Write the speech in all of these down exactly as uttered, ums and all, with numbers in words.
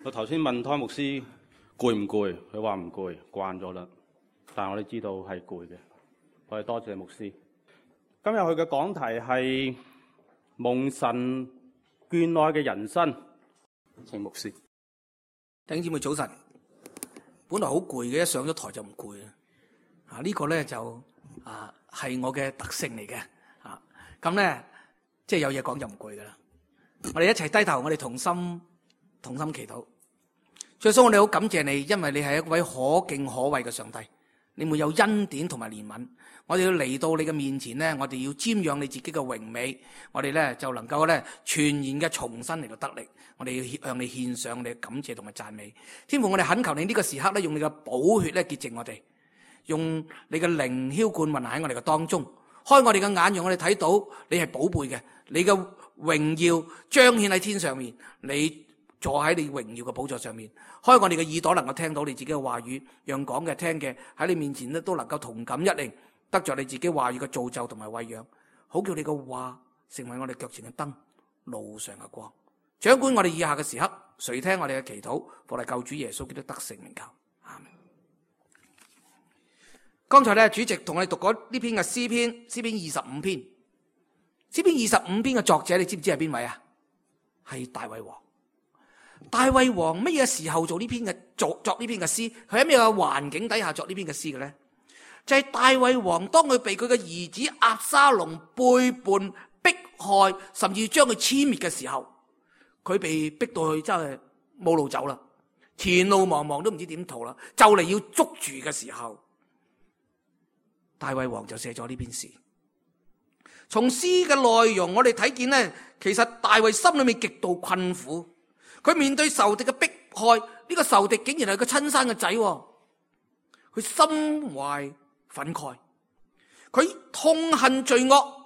我頭先問湯牧師攰唔攰，佢話唔攰，慣咗啦。但係我哋知道係攰嘅。我哋多謝牧師。今日佢嘅講題係蒙神眷愛嘅人生。請牧師。弟兄姊妹早晨。本來好攰嘅，一上咗台就唔攰啦。啊，呢、這個咧就啊係我嘅特性嚟嘅。啊，咁咧即係有嘢講就唔攰噶啦。我哋一齊低頭，我哋同心同心祈禱。最初我哋好感謝你，因為你係一位可敬可畏嘅上帝，你沒有恩典同埋憐憫。我哋要嚟到你嘅面前咧，我哋要瞻仰你自己嘅榮美，我哋咧就能夠咧全然嘅重新嚟到得力。我哋要向你獻上我哋嘅感謝同埋讚美。天父，我哋懇求你呢個時刻咧，用你嘅寶血咧潔淨我哋，用你嘅靈澆灌運喺我哋嘅當中，開我哋嘅眼，讓我哋睇到你係寶貝嘅，你嘅榮耀彰顯喺天上面，你坐喺你榮耀嘅寶座上面，開我哋嘅耳朵能夠聽到你自己嘅話語，讓講嘅聽嘅喺你面前咧都能夠同感一靈，得着你自己話語嘅造就同埋餵養，好叫你嘅話成為我哋腳前嘅燈，路上嘅光。掌管我哋以下嘅時刻，垂聽我哋嘅祈禱，奉我哋救主耶穌基督得勝名求，阿們。剛才咧主席同我哋讀過呢篇嘅詩篇，詩篇二十五篇，詩篇二十五篇嘅作者你知唔知係邊位啊？係大衛王。大衛王乜嘢時候做呢篇嘅作作呢篇嘅詩？佢喺咩嘅環境底下作呢篇嘅詩嘅咧？就係、是、大衛王當佢被佢嘅兒子押沙龍背叛、迫害，甚至將佢殲滅嘅時候，佢被逼到去真係冇路走啦，前路茫茫都唔知點逃啦，就嚟要捉住嘅時候，大衛王就寫咗呢篇詩。從詩嘅內容我哋睇見咧，其實大衛心裏面極度困苦。佢面對仇敵嘅迫害，呢、這個仇敵竟然係佢親生嘅仔，佢心懷憤慨，佢痛恨罪惡，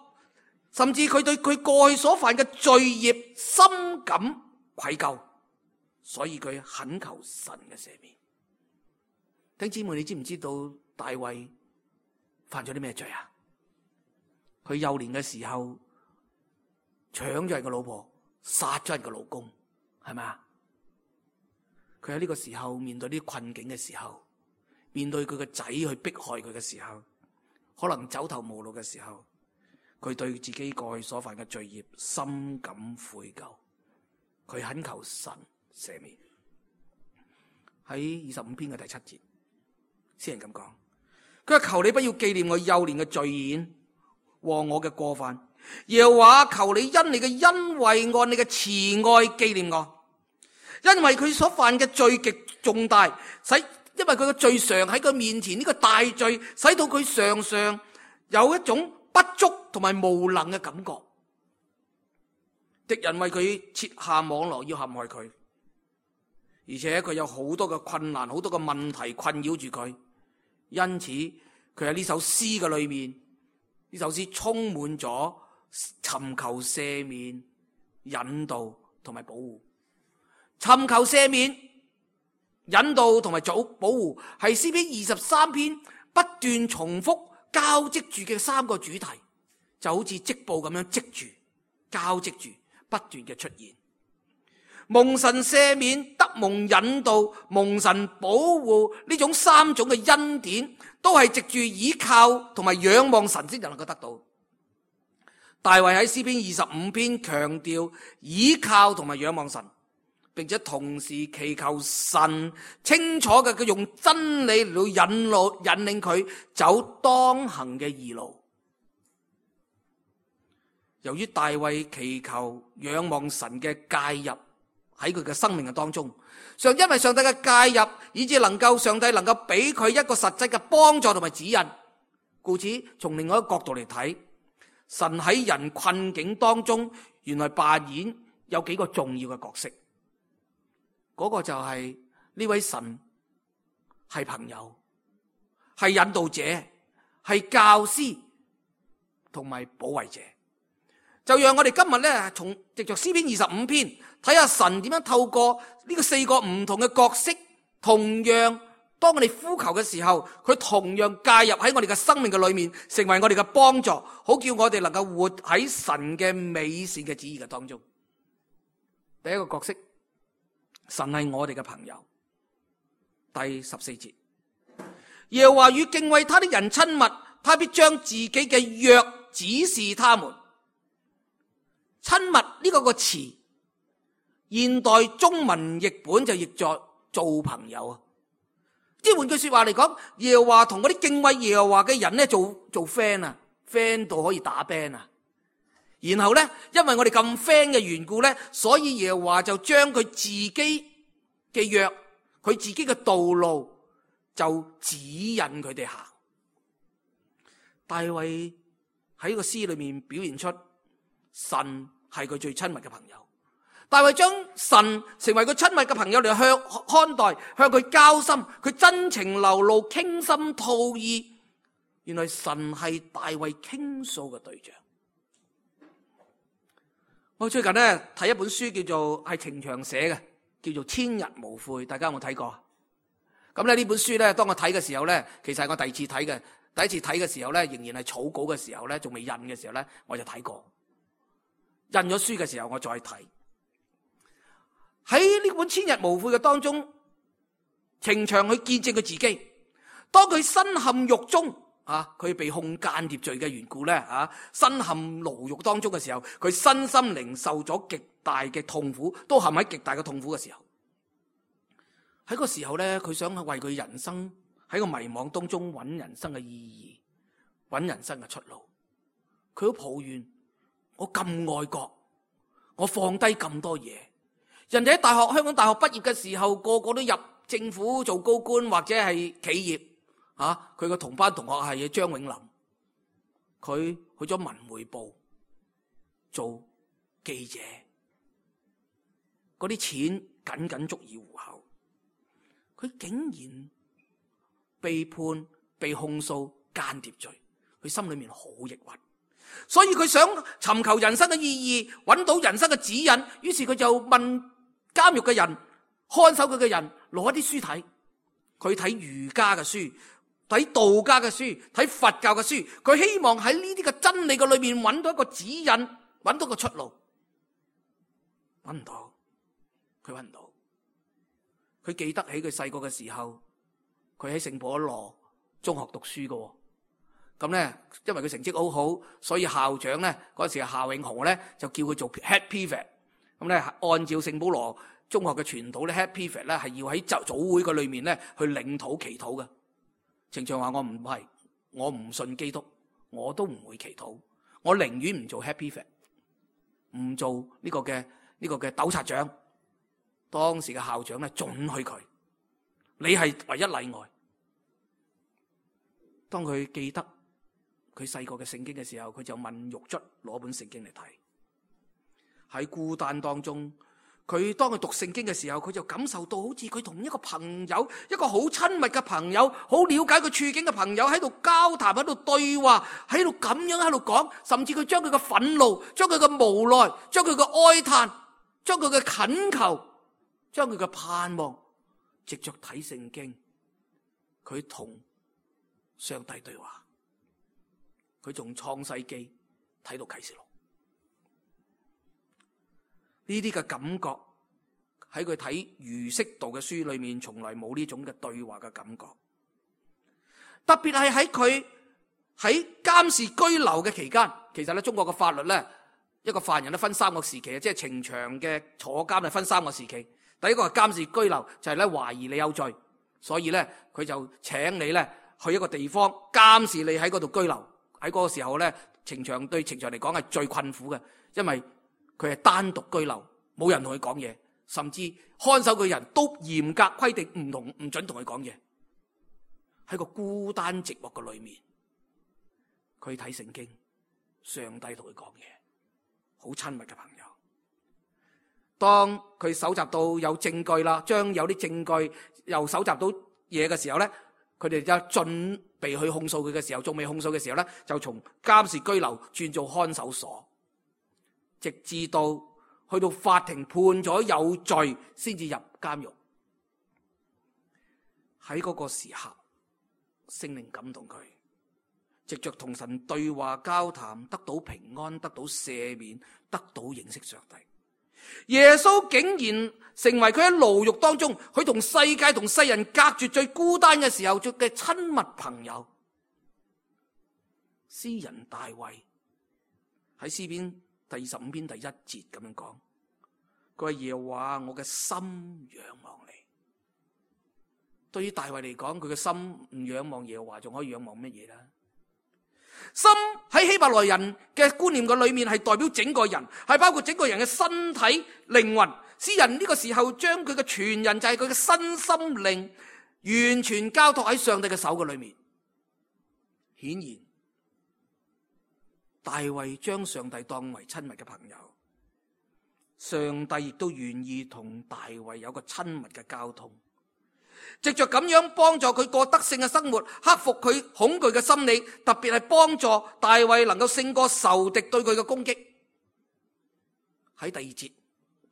甚至佢對佢過去所犯嘅罪孽深感愧疚，所以佢懇求神嘅赦免。弟兄姊妹，你知唔知道大衛犯咗啲咩罪啊？佢幼年嘅時候搶咗人嘅老婆，殺咗人嘅老公。係咪啊？佢喺呢個時候面對呢啲困境嘅時候，面對佢個仔去迫害佢嘅時候，可能走投無路嘅時候，佢對自己過去所犯嘅罪孽深感悔疚，佢懇求神赦免。喺二十五篇嘅第七節，詩人咁講：佢話求你不要紀念我幼年嘅罪愆和我嘅過犯，耶和華求你因你嘅恩惠按你嘅慈愛紀念我。因為佢所犯嘅罪極重大，使因為佢嘅罪常喺佢面前，呢個大罪使到佢常常有一種不足同埋無能嘅感覺。敵人為佢設下網絡要陷害佢，而且佢有好多嘅困難，好多嘅問題困擾住佢。因此佢喺呢首詩嘅裏面，呢首詩充滿咗尋求赦免、引導同埋保護。尋求赦免、引導同埋保護，係詩篇二十三篇不斷重複交織住嘅三個主題，就好似織布咁樣織住、交織住，不斷嘅出現。蒙神赦免、得蒙引導、蒙神保護，呢種三種嘅恩典，都係藉住倚靠同埋仰望神先就能夠得到。大衛喺詩篇二十五篇強調倚靠同埋仰望神，並且同時祈求神清楚嘅，佢用真理嚟到引路引領佢走當行嘅義路。由於大衛祈求仰望神嘅介入喺佢嘅生命嘅當中，上因為上帝嘅介入，以致能夠上帝能夠俾佢一個實際嘅幫助同埋指引。故此，從另外一個角度嚟睇，神喺人困境當中，原來扮演有幾個重要嘅角色。嗰個就係呢位神係朋友，係引導者，係教師同埋保衛者。就讓我哋今日咧，從藉着詩篇二十五篇睇下神點樣透過呢個四個唔同嘅角色，同樣當我哋呼求嘅時候，佢同樣介入喺我哋嘅生命嘅裏面，成為我哋嘅幫助，好叫我哋能夠活喺神嘅美善嘅旨意嘅當中。第一個角色神係我哋嘅朋友。第十四節，耶和華與敬畏他的人親密，他必將自己嘅約指示他們。親密呢個個詞，現代中文譯本就譯作做朋友啊。即係換句說話嚟講，耶和華同嗰啲敬畏耶和華嘅人咧做做 friend 啊 ，friend 到可以打 band 啊。然後咧，因為我哋咁 friend 嘅緣故咧，所以耶和華就將佢自己嘅約，佢自己嘅道路就指引佢哋行。大衛喺個詩裏面表現出神係佢最親密嘅朋友。大衛將神成為佢親密嘅朋友嚟向看待，向佢交心，佢真情流露，傾心吐意。原來神係大衛傾訴嘅對象。我最近咧睇一本書，叫做係程翔寫嘅，叫做《千日無悔》，大家有冇睇過？咁咧呢本書咧，當我睇嘅時候咧，其實係我第二次睇嘅。第一次睇嘅時候咧，仍然係草稿嘅時候咧，仲未印嘅時候咧，我就睇過。印咗書嘅時候，我再睇。喺呢本《千日無悔》嘅當中，程翔去見證佢自己，當佢身陷獄中啊，佢被控間諜罪嘅緣故咧啊，身陷牢獄當中嘅時候，佢身心靈受咗極大嘅痛苦，都陷喺極大嘅痛苦嘅時候。喺個時候咧，佢想為佢人生喺個迷惘當中揾人生嘅意義，揾人生嘅出路。佢好抱怨，我咁愛國，我放低咁多嘢。人哋喺大學香港大學畢業嘅時候，個個都入政府做高官或者係企業啊。佢個同班同學係張永林，佢去咗文匯報做記者，嗰啲錢僅僅足以糊口。佢竟然被判被控訴間諜罪，佢心裏面好抑鬱，所以佢想尋求人生嘅意義，揾到人生嘅指引。於是佢就問監獄嘅人，看守佢嘅人攞一啲書睇。佢睇儒家嘅書，睇道家嘅書，睇佛教嘅書。佢希望喺呢啲嘅真理嘅裏面揾到一個指引，揾到個出路。揾唔到，佢揾唔到。佢記得起佢細個嘅時候，佢喺聖保羅中學讀書嘅。咁咧，因為佢成績好好，所以校長咧嗰時夏永紅咧就叫佢做 head prefect。咁咧，按照聖保羅中學嘅傳統咧 head prefect 咧係要喺就早會嘅裏面咧去領禱祈禱嘅。程翔話：我唔係，我唔信基督，我都唔會祈禱，我寧願唔做 head prefect，唔做呢個嘅呢個嘅督察長。當時嘅校長咧准許佢，你係唯一例外。當佢記得佢細個嘅聖經嘅時候，佢就問獄卒攞本聖經嚟睇。喺孤單當中，佢當佢讀聖經嘅時候，佢就感受到好似佢同一個朋友，一個好親密嘅朋友，好了解佢處境嘅朋友喺度交談，喺度對話，喺度咁樣喺度講，甚至佢將佢嘅憤怒，將佢嘅無奈，將佢嘅哀嘆，將佢嘅懇求，將佢嘅盼望，藉着睇聖經，佢同上帝對話。佢從創世記睇到啟示錄，呢啲嘅感覺喺佢睇儒釋道嘅書裏面，從來冇呢種嘅對話嘅感覺。特別係喺佢喺監視居留嘅期間，其實咧中國嘅法律咧，一個犯人都分三個時期，即係程翔嘅坐監係分三個時期。第一個係監視居留，就係咧懷疑你有罪，所以咧佢就請你咧去一個地方監視你喺嗰度居留。喺嗰個時候咧，程翔對程翔嚟講係最困苦嘅，因為佢係單獨居留，冇人同佢講嘢，甚至看守佢人都嚴格規定唔同唔准同佢講嘢。喺個孤單寂寞嘅裏面，佢睇聖經，上帝同佢講嘢，好親密嘅朋友。當佢搜集到有證據啦，將有啲證據又搜集到嘢嘅時候咧，佢哋就準備去控訴佢嘅時候，仲未控訴嘅時候咧，就從監視居留轉做看守所，直至到去到法庭判咗有罪，先至入監獄。喺嗰個時刻，聖靈感動佢，藉着同神對話交談，得到平安，得到赦免，得到認識上帝。耶穌竟然成為佢喺牢獄當中，佢同世界同世人隔絕最孤單嘅時候做嘅親密朋友。詩人大衛喺詩篇第二十五篇第一節咁樣講，佢話耶和華，我嘅心仰望你。對於大衛嚟講，佢嘅心唔仰望耶和華，仲可以仰望乜嘢呢？心喺希伯來人嘅觀念嘅裏面係代表整個人，係包括整個人嘅身體靈魂。詩人呢個時候將佢嘅全人，就係佢嘅身心靈完全交託喺上帝嘅手嘅裏面。顯然大衛將上帝當為親密嘅朋友，上帝亦都願意同大衛有個親密嘅交通，藉着咁樣幫助佢過得勝嘅生活，克服佢恐懼嘅心理，特別係幫助大衛能夠勝過仇敵對佢嘅攻擊。喺第二節，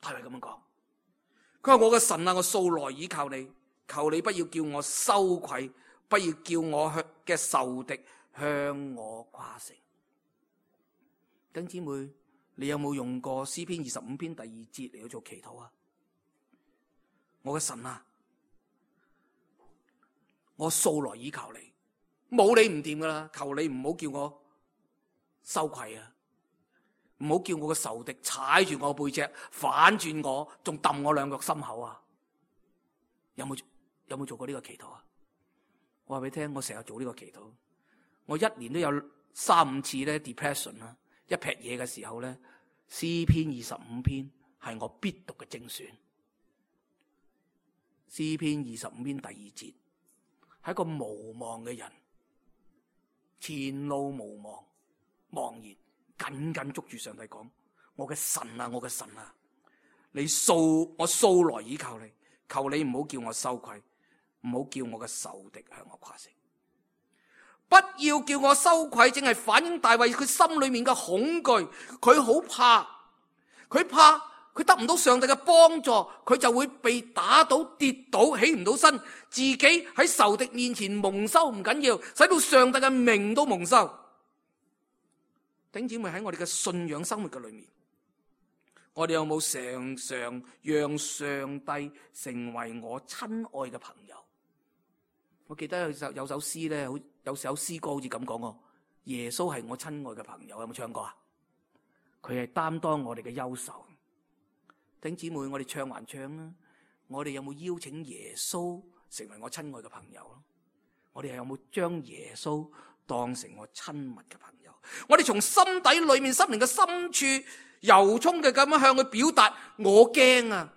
大衛咁樣講，佢話我嘅神啊，我素來倚靠你，求你不要叫我羞愧，不要叫我嘅仇敵向我誇勝。弟兄姊妹，你有冇用過詩篇二十五篇第二節嚟去做祈禱啊？我嘅神啊，我素來倚靠你，冇你唔掂噶啦，求你唔好叫我羞愧啊，唔好叫我嘅仇敵踩住我背脊，反轉我，仲揼我兩腳心口啊！有冇有冇做過呢個祈禱啊？我話俾你聽，我成日做呢個祈禱，我一年都有三五次咧 depression 啦。一劈嘢嘅時候咧，詩篇二十五篇係我必讀嘅精選。詩篇二十五篇第二節，係一個無望嘅人，前路無望，茫然，緊緊捉住上帝講：我嘅神啊，我嘅神啊，你素我素來倚靠你，求你唔好叫我羞愧，唔好叫我嘅仇敵向我誇勝。不要叫我羞愧，正係反映大衛佢心裏面嘅恐懼。佢好怕，佢怕佢得唔到上帝嘅幫助，佢就會被打倒跌倒，起唔到身，自己喺仇敵面前蒙羞唔緊要，使到上帝嘅名都蒙羞。弟兄姊妹，喺我哋嘅信仰生活嘅裏面，我哋有冇常常讓上帝成為我親愛嘅朋友？我記得有首有首詩咧，好有首詩歌好似咁講喎，耶穌係我親愛嘅朋友，有冇唱過啊？佢係擔當我哋嘅憂愁。弟兄姊妹，我哋唱還唱啦，我哋有冇邀請耶穌成為我親愛嘅朋友咯？我哋有冇將耶穌當成我親密嘅朋友？我哋從心底裏面、心靈嘅深處由衷嘅咁樣向佢表達：我驚啊！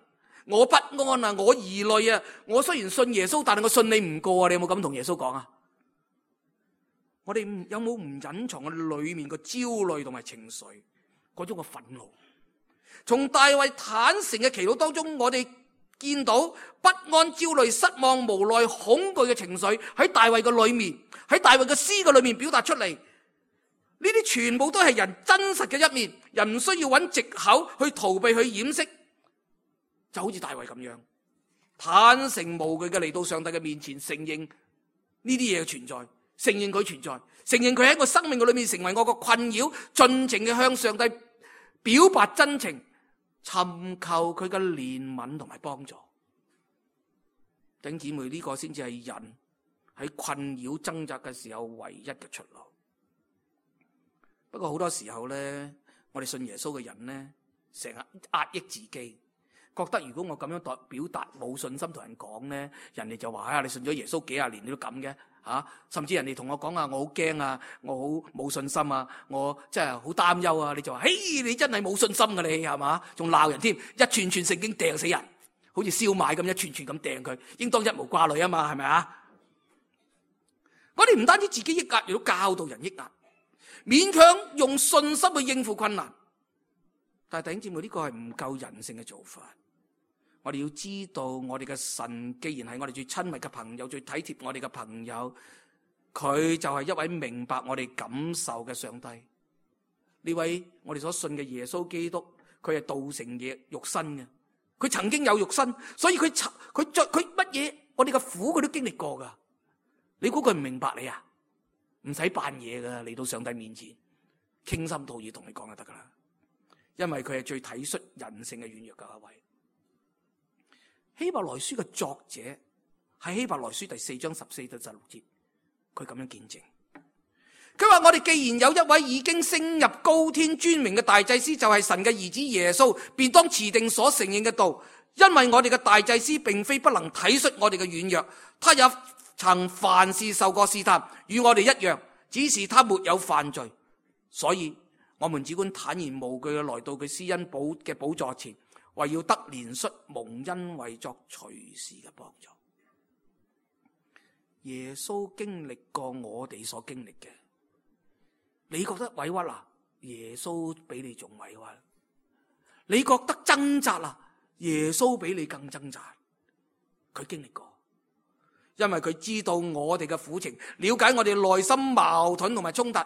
我不安啊，我疑慮啊，我雖然信耶穌，但係我信你唔過啊！你有冇咁同耶穌講啊？我哋有冇唔隱藏我哋裏面個焦慮同埋情緒嗰種嘅憤怒？從大衛坦誠嘅祈禱當中，我哋見到不安、焦慮、失望、無奈、恐懼嘅情緒喺大衛嘅裏面，喺大衛嘅詩嘅裏面表達出嚟。呢啲全部都係人真實嘅一面，人唔需要揾藉口去逃避、去掩飾。就好似大衛咁樣，坦誠無懼嘅嚟到上帝嘅面前，承認呢啲嘢嘅存在，承認佢存在，承認佢喺我生命嘅裏面成為我個困擾，盡情嘅向上帝表白真情，尋求佢嘅憐憫同埋幫助。弟兄姊妹，呢個先至係人喺困擾掙扎嘅時候唯一嘅出路。不過好多時候咧，我哋信耶穌嘅人咧，成日壓抑自己。覺得如果我咁樣代表達冇信心同人講咧，人哋就話：啊，你信咗耶穌幾廿年你都咁嘅嚇！甚至人哋同我講啊，我好驚啊，我好冇信心啊，我真係好擔憂啊！你就話：嘿，你真係冇信心㗎你係嘛？仲鬧人添，一串串聖經掟死人，好似燒賣咁一串串咁掟佢，應當一無掛慮啊嘛，係咪啊？我哋唔單止自己抑壓，亦都教導人抑壓，勉強用信心去應付困難。但係弟兄姊妹，呢個係唔夠人性嘅做法。我哋要知道，我哋嘅神既然係我哋最親密嘅朋友，最體貼我哋嘅朋友，佢就係一位明白我哋感受嘅上帝。呢位我哋所信嘅耶穌基督，佢係道成嘅肉身嘅，佢曾經有肉身，所以佢佢着佢乜嘢，我哋嘅苦佢都經歷過噶。你估佢唔明白你啊？唔使扮嘢噶，嚟到上帝面前傾心吐意同你講就得噶啦。因為佢係最體恤人性嘅軟弱嘅一位。希伯來書嘅作者喺希伯來書第四章十四到十六節，佢咁樣見證。佢話我哋既然有一位已經升入高天尊榮嘅大祭司，就係神嘅兒子耶穌，便當持定所承認嘅道。因為我哋嘅大祭司並非不能體恤我哋嘅軟弱，他也曾凡事受過試探，與我哋一樣，只是他沒有犯罪。所以我們只管坦然無懼嘅來到佢施恩寶嘅寶座前，為要得憐恤蒙恩惠作隨時嘅幫助。耶穌經歷過我哋所經歷嘅，你覺得委屈啦？耶穌比你仲委屈。你覺得掙扎啦？耶穌比你更掙扎。佢經歷過，因為佢知道我哋嘅苦情，了解我哋內心矛盾同埋衝突。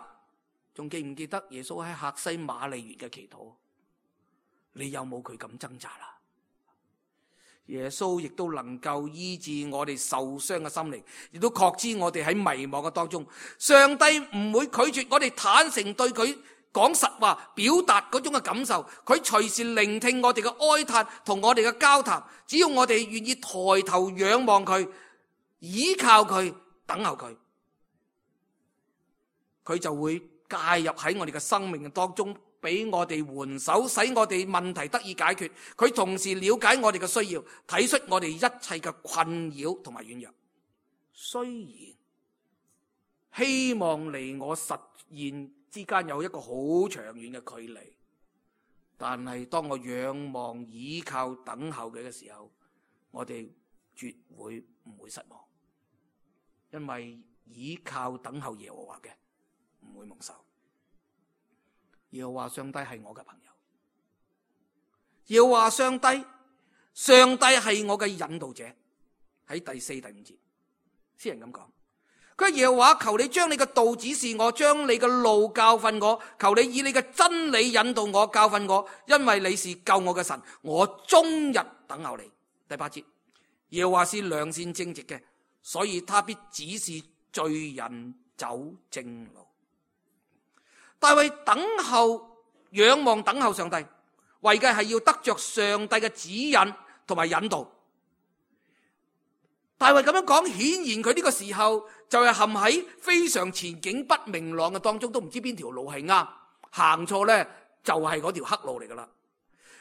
仲記唔記得耶穌喺客西馬尼園嘅祈禱？你有冇佢咁掙扎啦？耶穌亦都能夠醫治我哋受傷嘅心靈，亦都確知我哋喺迷茫嘅當中，上帝唔會拒絕我哋坦誠對佢講實話，表達嗰種嘅感受。佢隨時聆聽我哋嘅哀嘆同我哋嘅交談，只要我哋願意抬頭仰望佢，依靠佢，等候佢，佢就會介入喺我哋嘅生命嘅當中，俾我哋援手，使我哋問題得以解決。佢同時了解我哋嘅需要，體恤我哋一切嘅困擾同埋軟弱。雖然希望離我實現之間有一個好長遠嘅距離，但係當我仰望、倚靠、等候佢嘅時候，我哋絕會唔會失望，因為倚靠等候耶和華嘅唔會蒙受。耶和華上帝係我嘅朋友，耶和華上帝，上帝係我嘅引導者。喺第四、第五節，詩人咁講，佢話耶和華，求你將你嘅道指示我，將你嘅路教訓我，求你以你嘅真理引導我，教訓我，因為你是救我嘅神，我終日等候你。第八節，耶和華是良善正直嘅，所以他必指示罪人走正路。大衛等候、仰望、等候上帝，為嘅係要得着上帝嘅指引同埋引導。大衛咁樣講，顯然佢呢個時候就係陷喺非常前景不明朗嘅當中，都唔知邊條路係啱，行錯呢就係嗰條黑路嚟噶啦。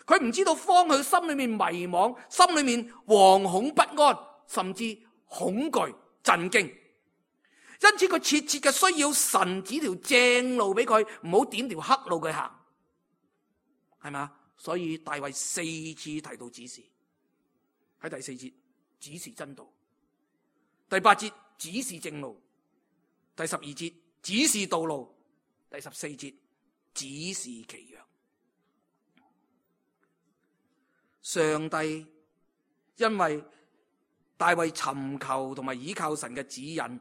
佢唔知道方向，心裏面迷茫，心裏面惶恐不安，甚至恐懼、震驚。因此佢切切嘅需要神指條正路俾佢，唔好點條黑路佢行，係咪？所以大衛四次提到指示，喺第四節指示真道，第八節指示正路，第十二節指示道路，第十四節指示其約。上帝因為大衛尋求同埋倚靠神嘅指引，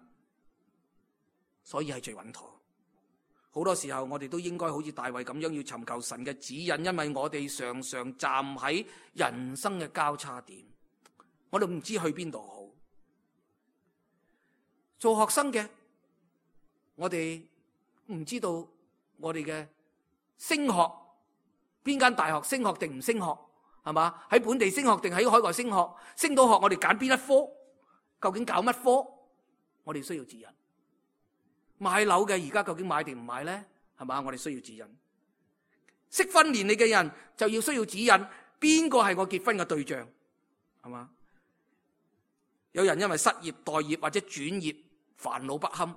所以係最穩妥。好多時候我哋都應該好似大衛咁樣，要尋求神嘅指引，因為我哋常常站喺人生嘅交叉點，我哋唔知去邊度好。做學生嘅，我哋唔知道我哋嘅升學邊間大學升學定唔升學，係嘛？喺本地升學定喺海外升學？升到學我哋揀邊一科？究竟搞乜科？我哋需要指引。買樓嘅而家究竟買定唔買呢？係嘛？我哋需要指引。適婚年齡嘅人就要需要指引，邊個係我結婚嘅對象？係嘛？有人因為失業、待業或者轉業，煩惱不堪。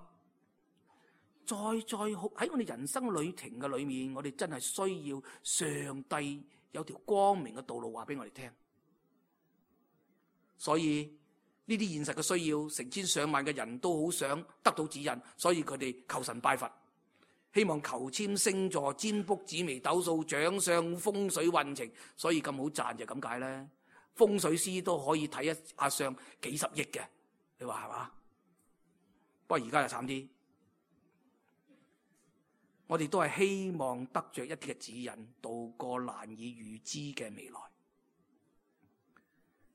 再再喺我哋人生旅程嘅裏面，我哋真係需要上帝有條光明嘅道路話俾我哋聽。所以呢啲現實嘅需要，成千上萬嘅人都好想得到指引，所以佢哋求神拜佛，希望求籤星座、占卜、紫微斗數、掌相、風水運程，所以咁好賺就咁解咧。風水師都可以睇一下相幾十億嘅，你話係嘛？不過而家就慘啲，我哋都係希望得着一啲嘅指引，度過難以預知嘅未來。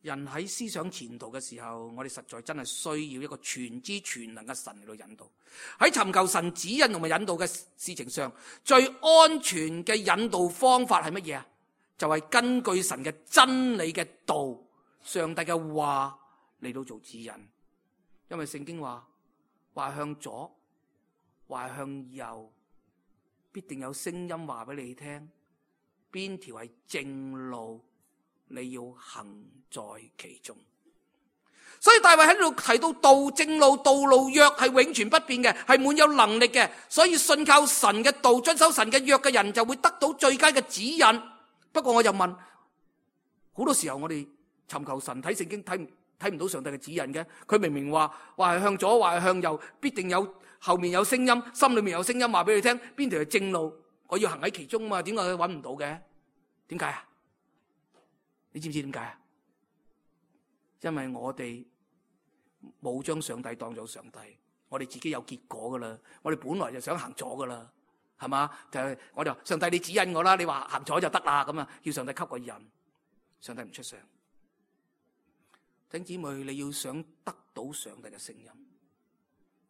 人喺思想前途嘅時候，我哋實在真係需要一個全知全能嘅神嚟到引導。喺尋求神指引同埋引導嘅事情上，最安全嘅引導方法係乜嘢啊？就係根據神嘅真理嘅道，上帝嘅話嚟到做指引。因為聖經話，話向左，話向右，必定有聲音話俾你聽，邊條係正路，你要行在其中。所以大衛喺度提到道正路、道路約係永存不變嘅，係滿有能力嘅。所以信靠神嘅道、遵守神嘅約嘅人就會得到最佳嘅指引。不過我就問，好多時候我哋尋求神睇聖經睇唔睇唔到上帝嘅指引嘅？佢明明話話係向左，話係向右，必定有後面有聲音，心裏面有聲音話俾你聽，邊條係正路，我要行喺其中嘛？點解佢揾唔到嘅？點解啊？你知唔知點解啊？因為我哋冇將上帝當做上帝，我哋自己有結果噶啦。我哋本來就想行左噶啦，係嘛？就係我就話上帝你指引我啦，你話行左就得啦，咁啊，叫上帝給個人，上帝唔出聲。弟兄姊妹，你要想得到上帝嘅聲音，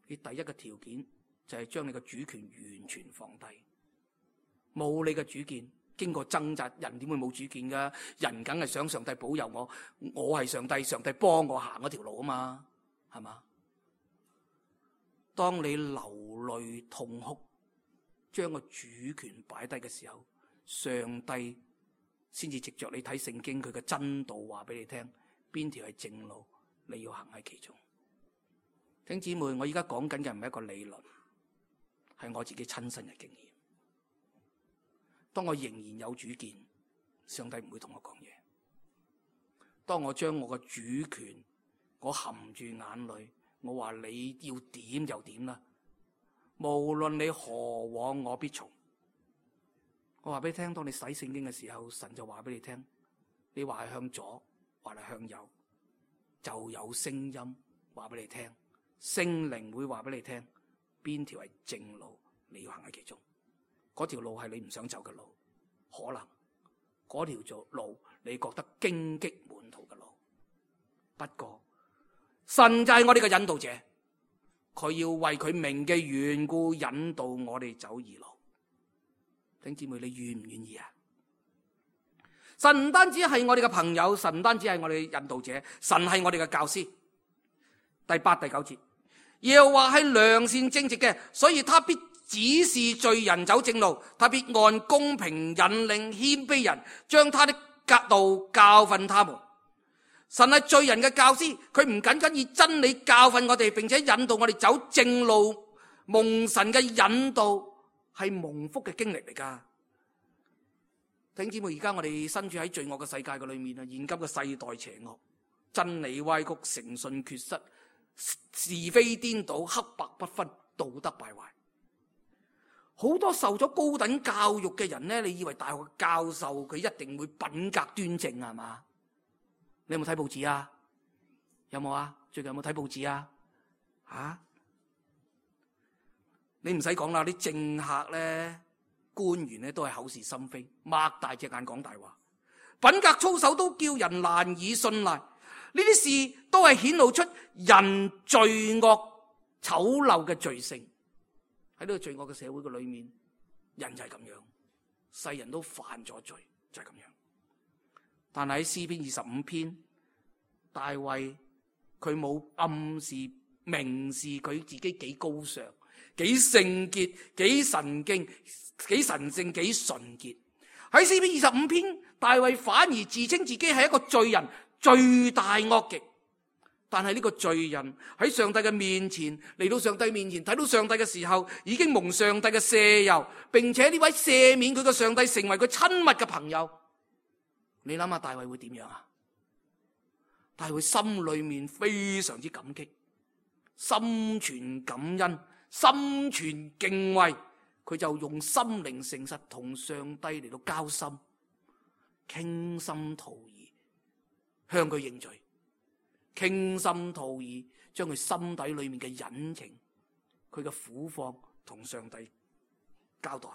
你第一個條件就係將你嘅主權完全放低，冇你嘅主見。經過掙扎，人點會冇主見噶？人梗係想上帝保佑我，我係上帝，上帝幫我行嗰條路啊嘛，係嘛？當你流淚痛哭，將個主權擺低嘅時候，上帝先至藉着你睇聖經佢嘅真道話俾你聽，邊條係正路，你要行喺其中。弟兄姊妹，我而家講緊嘅唔係一個理論，係我自己親身嘅經驗。當我仍然有主見，上帝唔會同我講嘢。當我將我嘅主權，我含住眼淚，我話你要點就點啦，無論你何往我必從。我話俾你聽，當你洗聖經嘅時候，神就話俾你聽，你話係向左，話係向右，就有聲音話俾你聽，聖靈會話俾你聽，邊條係正路，你要行喺其中。嗰條路係你唔想走嘅路，可能嗰條路你覺得荊棘滿途嘅路。不過神就係我哋嘅引導者，佢要為佢名嘅緣故引導我哋走義路。弟兄姊妹，你願唔願意啊？神唔單止係我哋嘅朋友，神唔單止係我哋嘅引導者，神係我哋嘅教師。第八、第九節，耶和華係良善正直嘅，所以他必指示罪人走正路，他必按公平引領謙卑人，將他的道教訓他們。神係罪人嘅教師，佢唔僅僅以真理教訓我哋，並且引導我哋走正路。蒙神嘅引導係蒙福嘅經歷嚟噶。弟兄姊妹，而家我哋身處喺罪惡嘅世界嘅裏面啊，現今嘅世代邪惡，真理歪曲，誠信缺失，是非顛倒，黑白不分，道德敗壞。好多受咗高等教育嘅人呢，你以為大學教授佢一定會品格端正係嘛？你有冇睇報紙啊？有冇啊？最近有冇睇報紙啊？啊？你唔使講啦，啲政客咧、官員咧都係口是心非，擘大隻眼講大話，品格操守都叫人難以信賴。呢啲事都係顯露出人罪惡醜陋嘅罪性。喺呢個罪惡嘅社會嘅裏面，人就係咁樣，世人都犯咗罪，就係咁樣。但係喺詩篇二十五篇，大衛佢冇暗示明示佢自己幾高尚、幾聖潔、幾神經、幾神聖、幾純潔。喺詩篇二十五篇，大衛反而自稱自己係一個罪人，罪大惡極。但係呢個罪人喺上帝嘅面前，嚟到上帝面前睇到上帝嘅時候，已經蒙上帝嘅赦宥，並且呢位赦免佢嘅上帝成為佢親密嘅朋友。你諗下大衛會點樣啊？大衛心裏面非常之感激，心存感恩，心存敬畏，佢就用心靈誠實同上帝嚟到交心，傾心吐意向佢認罪，傾心吐意將佢心底裏面嘅隱情，佢嘅苦況同上帝交代。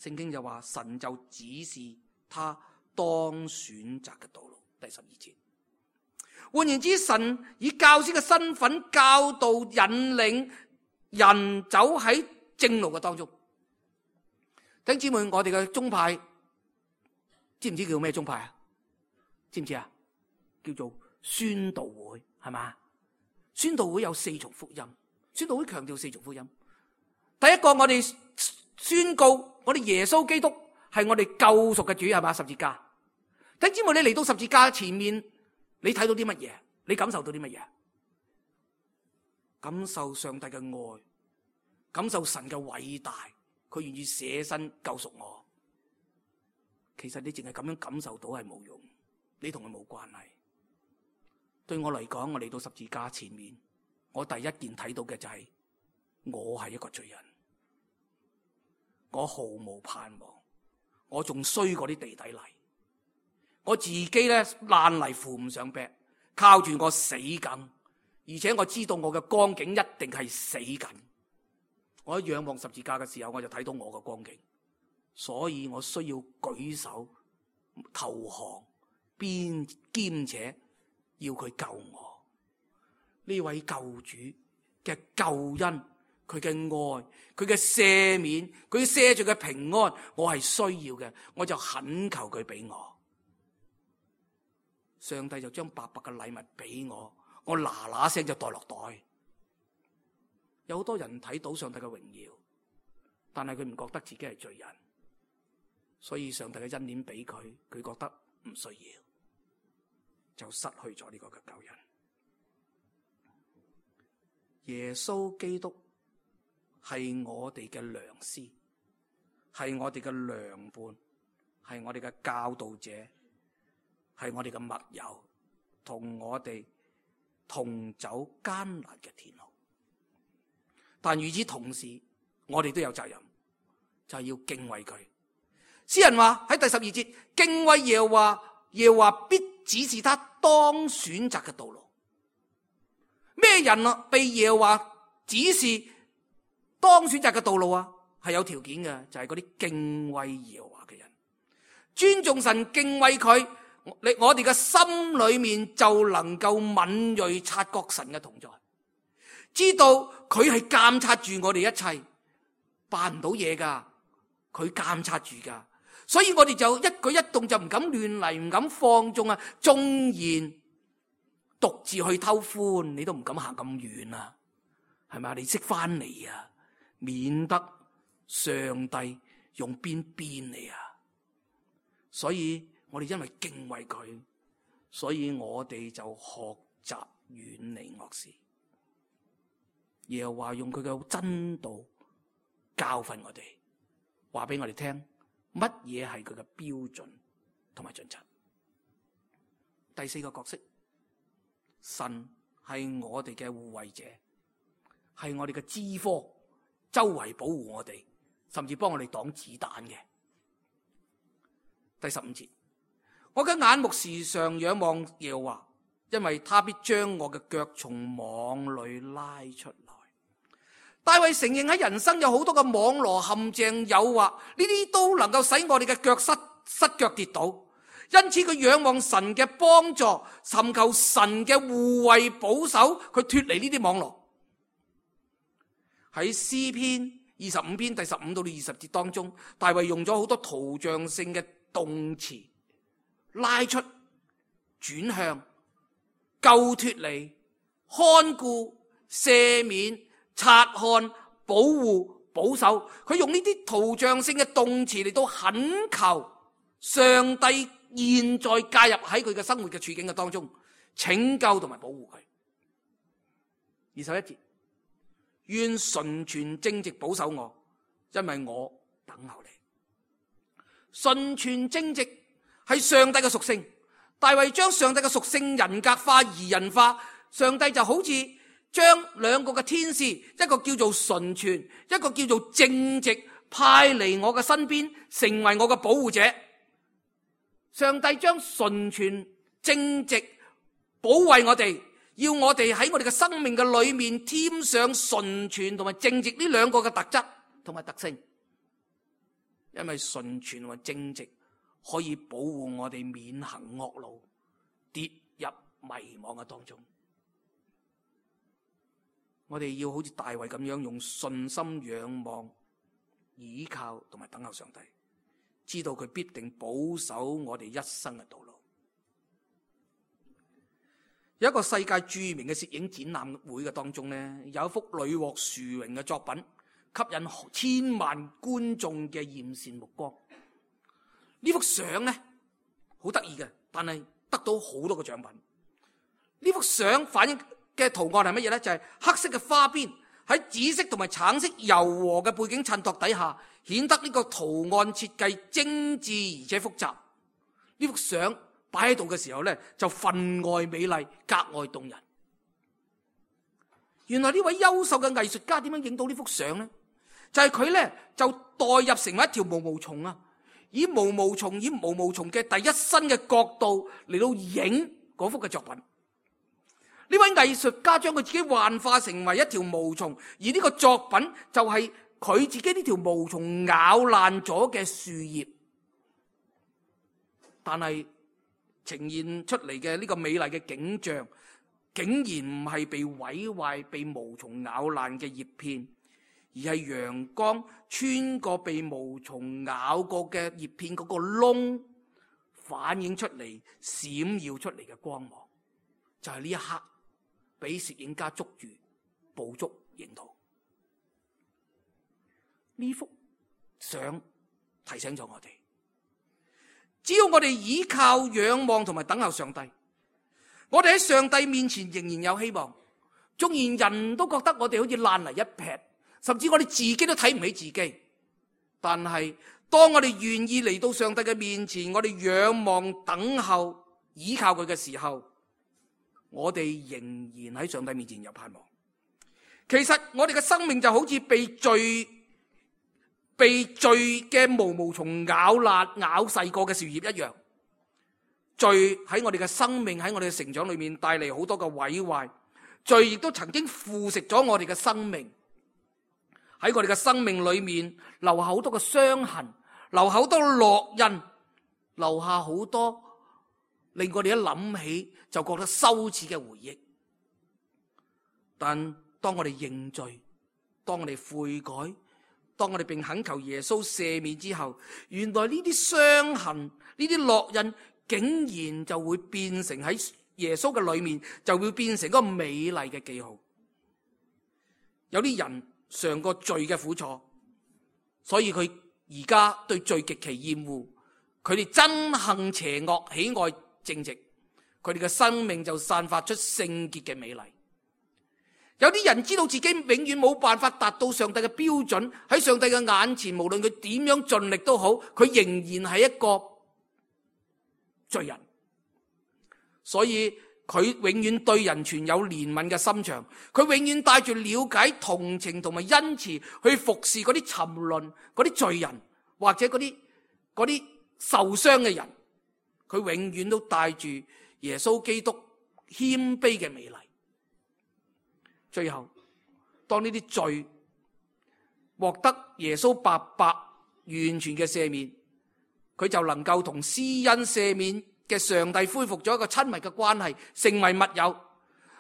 聖經就話神就指示他當選擇嘅道路。第十二節。換言之，神以教師嘅身份教導引領人走喺正路嘅當中。弟兄姊妹，我哋嘅宗派知唔知叫咩宗派啊？知唔知啊？叫做宣道會，係嘛？宣道會有四重福音，宣道會強調四重福音。第一個，我哋宣告我哋耶穌基督係我哋救贖嘅主，係嘛？十字架。弟兄姊妹，你嚟到十字架前面，你睇到啲乜嘢？你感受到啲乜嘢？感受上帝嘅愛，感受神嘅偉大，佢願意捨身救贖我。其實你淨係咁樣感受到係冇用，你同佢冇關係。對我嚟講，我嚟到十字架前面，我第一件睇到嘅就係我係一個罪人，我毫無盼望，我仲衰過啲地底泥，我自己咧爛泥扶唔上壁，靠住我死緊，而且我知道我嘅光景一定係死緊。我一仰望十字架嘅時候，我就睇到我嘅光景，所以我需要舉手投降，邊兼且要佢救我。呢位救主嘅救恩，佢嘅愛，佢嘅赦免，佢赦罪嘅平安，我係需要嘅，我就懇求佢俾我。上帝就將白白嘅禮物俾我，我嗱嗱聲就袋落袋。有好多人睇到上帝嘅榮耀，但係佢唔覺得自己係罪人，所以上帝嘅恩典俾佢，佢覺得唔需要，就失去咗呢個嘅救恩。耶穌基督係我哋嘅良師，係我哋嘅良伴，係我哋嘅教導者，係我哋嘅密友，同我哋同走艱難嘅天路。但與此同時，我哋都有責任，就係要敬畏佢。詩人話喺第十二節，敬畏耶和華，耶和華必指示他當選擇嘅道路。咩人啊被耶和華指示當選擇嘅道路啊？係有條件嘅，就係嗰啲敬畏耶和華嘅人，尊重神，敬畏佢，你我哋嘅心裏面就能夠敏銳察覺神嘅同在，知道佢係監察住我哋一切，辦唔到嘢噶，佢監察住噶，所以我哋就一舉一動就唔敢亂嚟，唔敢放縱啊！縱然獨自去偷歡，你都唔敢行咁遠啊，係咪？你識翻嚟啊，免得上帝用鞭鞭你啊！所以我哋因為敬畏佢，所以我哋就學習遠離惡事。耶和華用佢嘅真道教訓我哋，話俾我哋聽乜嘢係佢嘅標準同埋準則。第四個角色，神係我哋嘅護衛者，係我哋嘅支科，周圍保護我哋，甚至幫我哋擋子彈嘅。第十五節，我嘅眼目時常仰望耶和華，因為他必將我嘅腳從網裏拉出來。大衛承認喺人生有好多嘅網羅陷阱誘惑，呢啲都能夠使我哋嘅腳失失腳跌倒。因此佢仰望神嘅幫助，尋求神嘅護衛保守，佢脫離呢啲網羅。喺詩篇二十五篇第十五到二十節當中，大衛用咗好多圖像性嘅動詞，拉出、轉向、救脫離、看顧、赦免、察看、保護、保守，佢用呢啲圖像性嘅動詞嚟到懇求上帝現在介入喺佢嘅生活嘅處境嘅當中，拯救同埋保護佢。二十一節，願純全正直保守我，因為我等候你。純全正直係上帝嘅屬性，大衛將上帝嘅屬性人格化、擬人化，上帝就好似將兩個嘅天使，一個叫做純全，一個叫做正直，派嚟我嘅身邊，成為我嘅保護者。上帝將純全、正直保衛我哋，要我哋喺我哋嘅生命嘅裏面添上純全同埋正直呢兩個嘅特質同埋特性。因為純全同埋正直可以保護我哋免行惡路，跌入迷惘嘅當中。我哋要好似大衛咁樣用信心仰望、倚靠同埋等候上帝，知道佢必定保守我哋一生嘅道路。有一個世界著名嘅攝影展覽會嘅當中呢，有一幅屢獲殊榮嘅作品，吸引千萬觀眾嘅艷羨目光。呢幅相呢，好得意嘅，但係得到好多個獎品。呢幅相反映嘅圖案係乜嘢呢？就係、是、黑色嘅花邊喺紫色同埋橙色柔和嘅背景襯托底下，顯得呢個圖案設計精緻而且複雜。呢幅相擺喺度嘅時候呢，就分外美麗，格外動人。原來呢位優秀嘅藝術家點樣影到呢幅相呢？就係、是、佢呢，就代入成為一條毛毛蟲啊，以毛毛蟲以毛毛蟲嘅第一身嘅角度嚟到影嗰幅嘅作品。呢位藝術家將佢自己幻化成為一條毛蟲，而呢個作品就係佢自己呢條毛蟲咬爛咗嘅樹葉，但係呈現出嚟嘅呢個美麗嘅景象，竟然唔係被毀壞、被毛蟲咬爛嘅葉片，而係陽光穿過被毛蟲咬過嘅葉片嗰個窿，反映出嚟、閃耀出嚟嘅光芒，就係呢一刻俾攝影家捉住、捕捉影圖。呢幅相提醒咗我哋，只要我哋倚靠、仰望同埋等候上帝，我哋喺上帝面前仍然有希望。縱然人都覺得我哋好似爛泥一劈，甚至我哋自己都睇唔起自己，但係當我哋願意嚟到上帝嘅面前，我哋仰望、等候、倚靠佢嘅時候，我哋仍然喺上帝面前有盼望。其實我哋嘅生命就好似被罪被罪嘅毛毛蟲咬爛、咬細過嘅樹葉一樣。罪喺我哋嘅生命、喺我哋嘅成長裏面帶嚟好多嘅毀壞。罪亦都曾經腐蝕咗我哋嘅生命，喺我哋嘅生命裏面留下好多嘅傷痕，留下好多烙印，留下好多令我哋一諗起就覺得羞恥嘅回憶。但當我哋認罪，當我哋悔改，當我哋並懇求耶穌赦免之後，原來呢啲傷痕、呢啲烙印竟然就會變成喺耶穌嘅裏面，就會變成一個美麗嘅記號。有啲人嘗過罪嘅苦楚，所以佢而家對罪極其厭惡，佢哋憎恨邪惡，喜愛正直，佢哋嘅生命就散發出聖潔嘅美麗。有啲人知道自己永遠冇辦法達到上帝嘅標準，喺上帝嘅眼前，無論佢點樣盡力都好，佢仍然係一個罪人。所以佢永遠對人存有憐憫嘅心腸，佢永遠帶住了解、同情同埋恩慈去服侍嗰啲沉淪、嗰啲罪人，或者嗰啲嗰啲受傷嘅人。佢永遠都帶住耶穌基督謙卑嘅美麗。最後，當呢啲罪獲得耶穌白白完全嘅赦免，佢就能夠同施恩赦免嘅上帝恢復咗一個親密嘅關係，成為密友。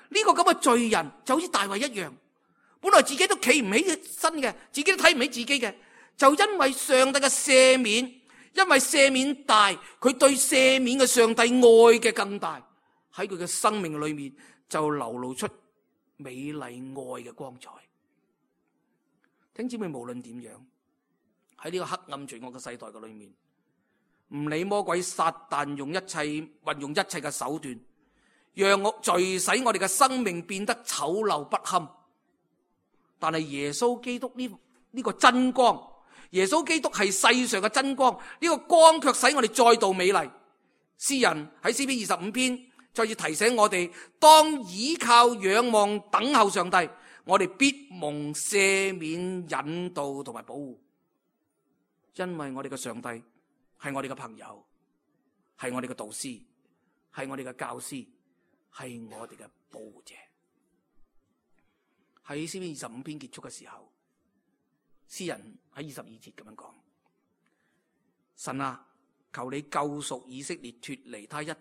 呢個咁嘅罪人就好似大衛一樣，本來自己都企唔起身嘅，自己都睇唔起自己嘅，就因為上帝嘅赦免，因為赦免大，佢對赦免嘅上帝愛嘅更大，喺佢嘅生命裏面就流露出美麗愛嘅光彩。聽姊妹，無論點樣，喺呢個黑暗罪惡嘅世代嘅裏面，唔理魔鬼撒旦用一切運用一切嘅手段，讓我罪使我哋嘅生命變得醜陋不堪。但係耶穌基督呢呢個真光，耶穌基督係世上嘅真光，呢個光卻使我哋再度美麗。詩人喺詩篇二十五篇再次提醒我哋，當倚靠、仰望、等候上帝，我哋必蒙赦免、引導同埋保護，因為我哋嘅上帝係我哋嘅朋友，係我哋嘅導師，係我哋嘅教師，係我哋嘅保護者。喺詩篇二十五篇結束嘅時候，詩人喺二十二節咁樣講：神啊，求你救贖以色列脫離他一切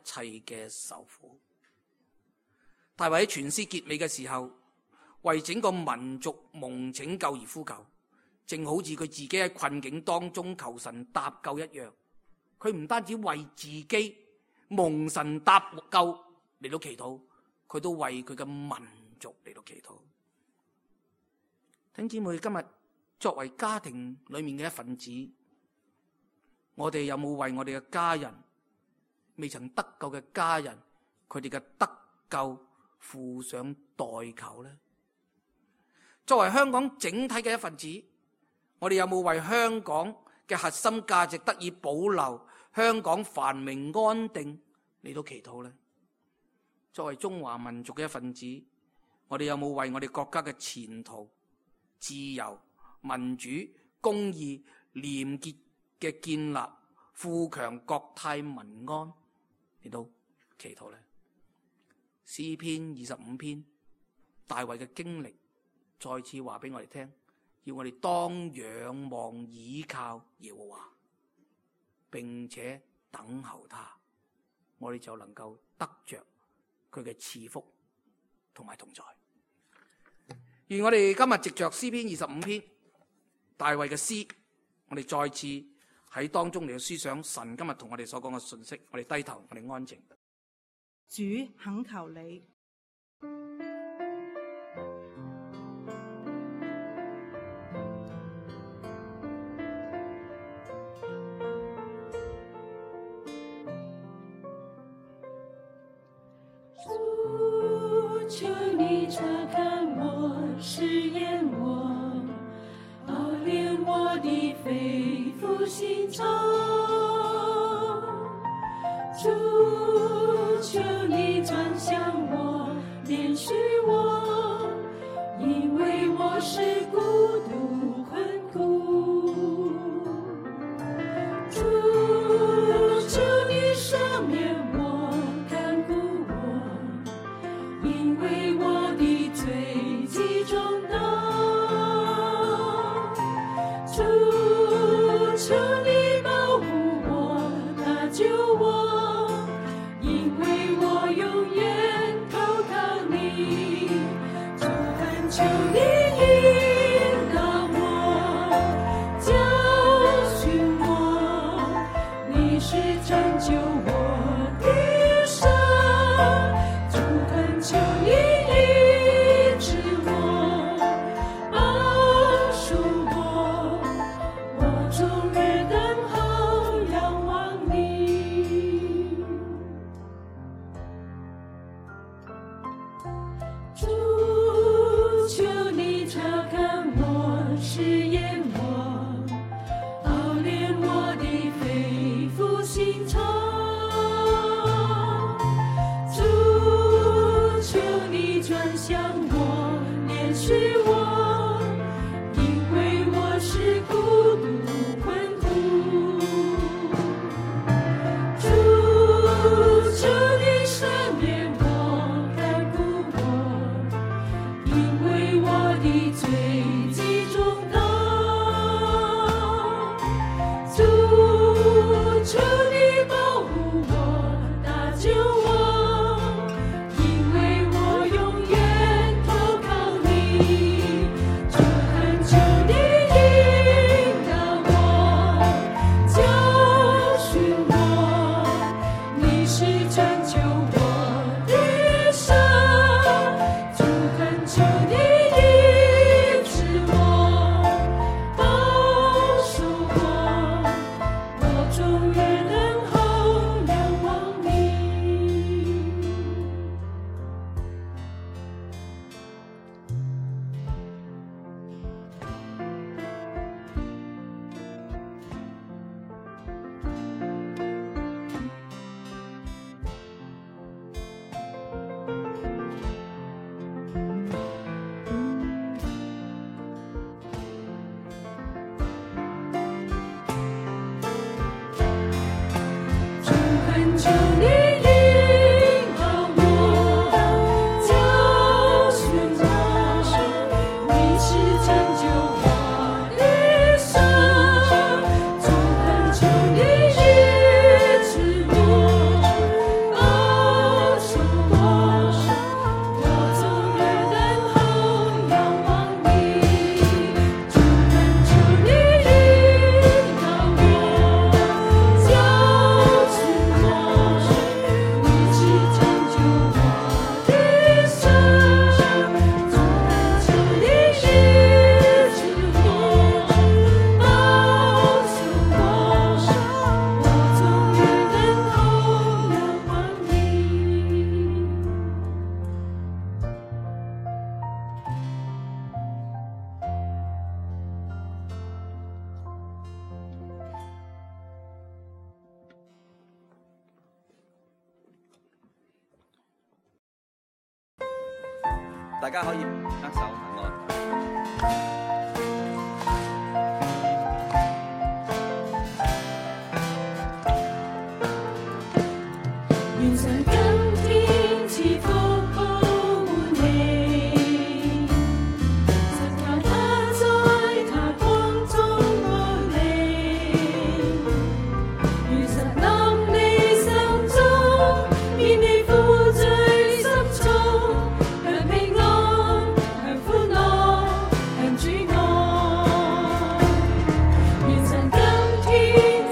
嘅受苦。大衛喺全詩結尾嘅時候，為整個民族蒙拯救而呼救，正好似佢自己喺困境當中求神搭救一樣。佢唔單止為自己蒙神搭救嚟到祈禱，佢都為佢嘅民族嚟到祈禱。弟兄姊妹，今日作為家庭裏面嘅一份子，我哋有冇為我哋嘅家人，未曾得救嘅家人，佢哋嘅得救付上代求呢？作為香港整體嘅一份子，我哋有冇為香港嘅核心價值得以保留，香港繁榮安定嚟到祈禱呢？作為中華民族嘅一份子，我哋有冇為我哋國家嘅前途、自由、民主、公義、廉潔嘅建立、富強國泰民安嚟到祈禱呢？詩篇二十五篇，大衛嘅經歷再次話俾我哋聽，要我哋當仰望倚靠耶和華，並且等候他，我哋就能夠得着佢嘅賜福同埋同在。願我哋今日藉着詩篇二十五篇大衛嘅詩，我哋再次喺當中嚟到思想神今日同我哋所講嘅信息。我哋低頭，我哋安靜。主，懇求你，主，求你察看我，試驗我，熬煉我的肺腑心腸。主，求你轉向我，憐恤我，因為我是孤獨困苦。主，求你赦免我，看顧我，因為我的罪極重大。主，求你保護我，搭救我，求你引導我，教訓我，你是拯救我的神。主，懇求你醫治我，保守我，我終日等候仰望你。主，求你察看我，試驗我，熬煉我的肺腑心腸。主，求你轉向我，憐恤我，因為我是孤獨困苦。主，求你赦免我，看顧我，因為我的罪極重大。大家可以握手問我。願神今天賜福報滿你，神求他在他光中保你，願神臨你心中，免你負罪深重，享平安，享歡樂，享主愛。願神今天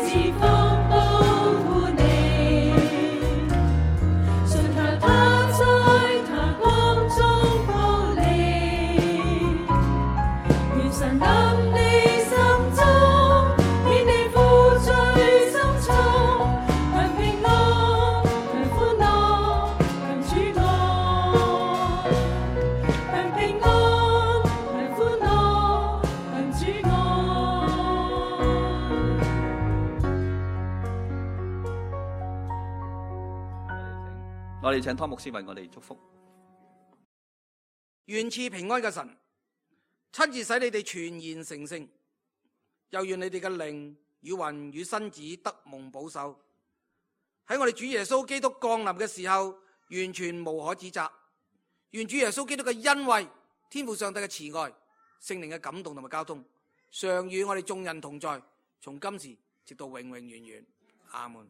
賜福報滿你，信靠他在他光中保你，願神臨你心中，免你負罪深重，享平安，享歡樂，享主愛，享平安，享歡樂，享主愛。我哋請湯牧師為我哋祝福。願賜平安嘅神，親自使你哋全然成聖，又願你哋嘅靈與魂與身子得蒙保守。喺我哋主耶穌基督降臨嘅時候，完全無可指責。願主耶穌基督嘅恩惠、天父上帝嘅慈愛、聖靈嘅感動同埋交通，常與我哋眾人同在，從今時直到永永遠遠。阿門。